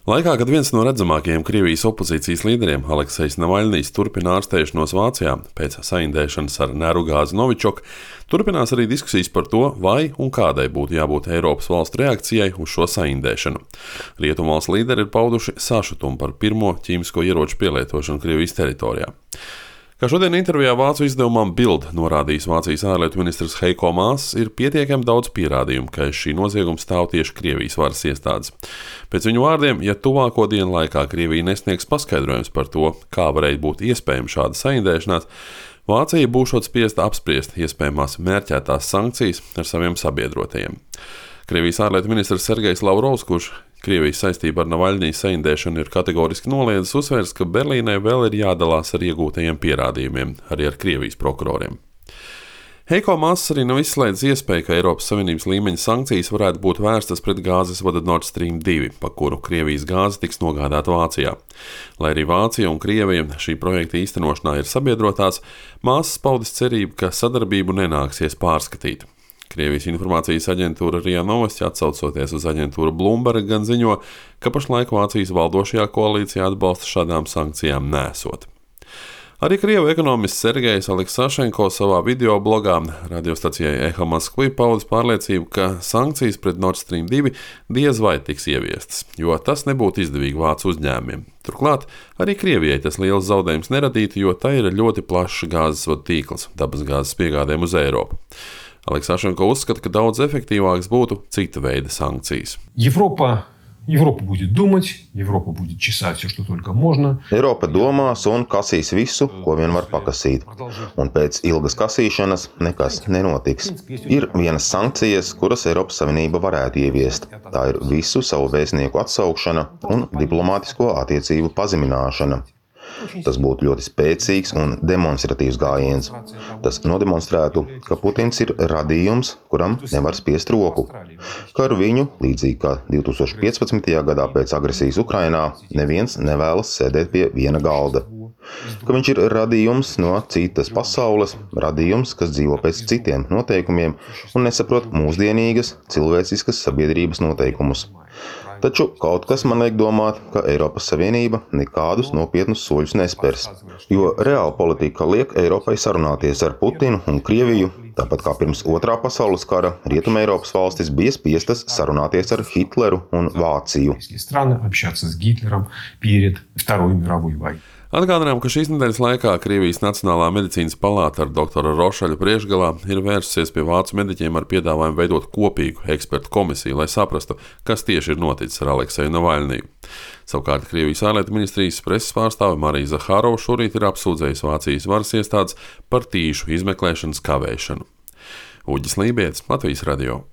Laikā, kad viens no redzamākajiem Krievijas opozīcijas līderiem, Aleksejs Navaļnijs, turpina ārstēšanos Vācijā pēc saindēšanas ar nerugāzi Novičoku, turpinās arī diskusijas par to, vai un kādai būtu jābūt Eiropas valstu reakcijai uz šo saindēšanu. Rietumvalstu līderi ir pauduši sašutumu par pirmo ķīmisko ieroču pielietošanu Krievijas teritorijā. Kā šodien intervijā Vācu izdevumam Bild norādījis Vācijas ārlietu ministrs Heiko Maas, ir pietiekami daudz pierādījumu, ka aiz šī nozieguma stāv tieši Krievijas varas iestādes. Pēc viņu vārdiem, ja tuvāko dienu laikā Krievija nesniegs paskaidrojums par to, kā varēja būt iespējama šāda saindēšanās, Vācija būšot spiesta apspriest iespējamās mērķētās sankcijas ar saviem sabiedrotajiem. Krievijas ārlietu ministrs Sergejs Lavrovs, kurš Krievijas saistība ar Navaļņija saindēšanu ir kategoriski noliedzis, uzsvērs, ka Berlīnai vēl ir jādalās ar iegūtajiem pierādījumiem, arī ar Krievijas prokuroriem. Heiko Maas arī nav izslēdzis iespēju, ka Eiropas Savienības līmeņa sankcijas varētu būt vērstas pret gāzes vada Nord Stream 2, pa kuru Krievijas gāze tiks nogādāta Vācijā. Lai arī Vācija un Krievija šī projekta īstenošanā ir sabiedrotās, Maas paudis cerību, ka sadarbību nenāksies pārskatīt. Krievijas informācijas aģentūra RIA Novosti, atsaucoties uz aģentūru Bloomberg, gan ziņo, ka pašlaik Vācijas valdošajā koalīcijā atbalsta šādām sankcijām nesot. Arī Krievu ekonomists Sergejs Aleksašenko savā video blogā radiostacijai Eho Moskvi paudis pārliecību, ka sankcijas pret Nord Stream 2 diez vai tiks ieviestas, jo tas nebūtu izdevīgi vācu uzņēmumiem. Turklāt arī Krievijai tas liels zaudējums neradītu, jo tā ir ļoti plašs gāzes vadu tīkls dabasgāzes piegādēm uz Eiropu. Aleksašenko uzskata, ka daudz efektīvāks būtu cita veida sankcijas. Европа будет думать, Европа будет чесать все, что только можно. Eiropa domās un kasīs visu, ko vien var pakasīt. Un pēc ilgas kasīšanas nekas nenotiks. Ir vienas sankcijas, kuras Eiropas Savienība varētu ieviest. Tā ir visu savu vēstnieku atsaukšana un diplomātisko attiecību pazemināšana. Tas būtu ļoti spēcīgs un demonstratīvs gājiens. Tas nodemonstrētu, ka Putins ir radījums, kuram nevar spiest roku. Ka ar viņu, līdzīgi kā 2015. gadā pēc agresijas Ukrainā, neviens nevēlas sēdēt pie viena galda. Ka viņš ir radījums no citas pasaules, radījums, kas dzīvo pēc citiem noteikumiem un nesaprot mūsdienīgas, cilvēciskas sabiedrības noteikumus. Taču kaut kas man liek domāt, ka Eiropas Savienība nekādus nopietnus soļus nespers, jo reāla politika liek Eiropai sarunāties ar Putinu un Krieviju, tāpat kā pirms Otrā pasaules kara Rietumeiropas valstis bija spiestas sarunāties ar Hitleru un Vāciju. Atgādinām, ka šīs nedēļas laikā Krievijas Nacionālā medicīnas palāta ar doktora Rošaļa priekšgalā ir vērsusies pie vācu mediķiem ar piedāvājumu veidot kopīgu ekspertu komisiju, lai saprastu, kas tieši ir noticis ar Alekseju Navaļniju. Savukārt Krievijas ārlietu ministrijas preses pārstāve Marija Zahārova šorīt ir apsūdzējusi Vācijas varas iestādes par tīšu izmeklēšanas kavēšanu. Uģis Lībietis, Latvijas radio.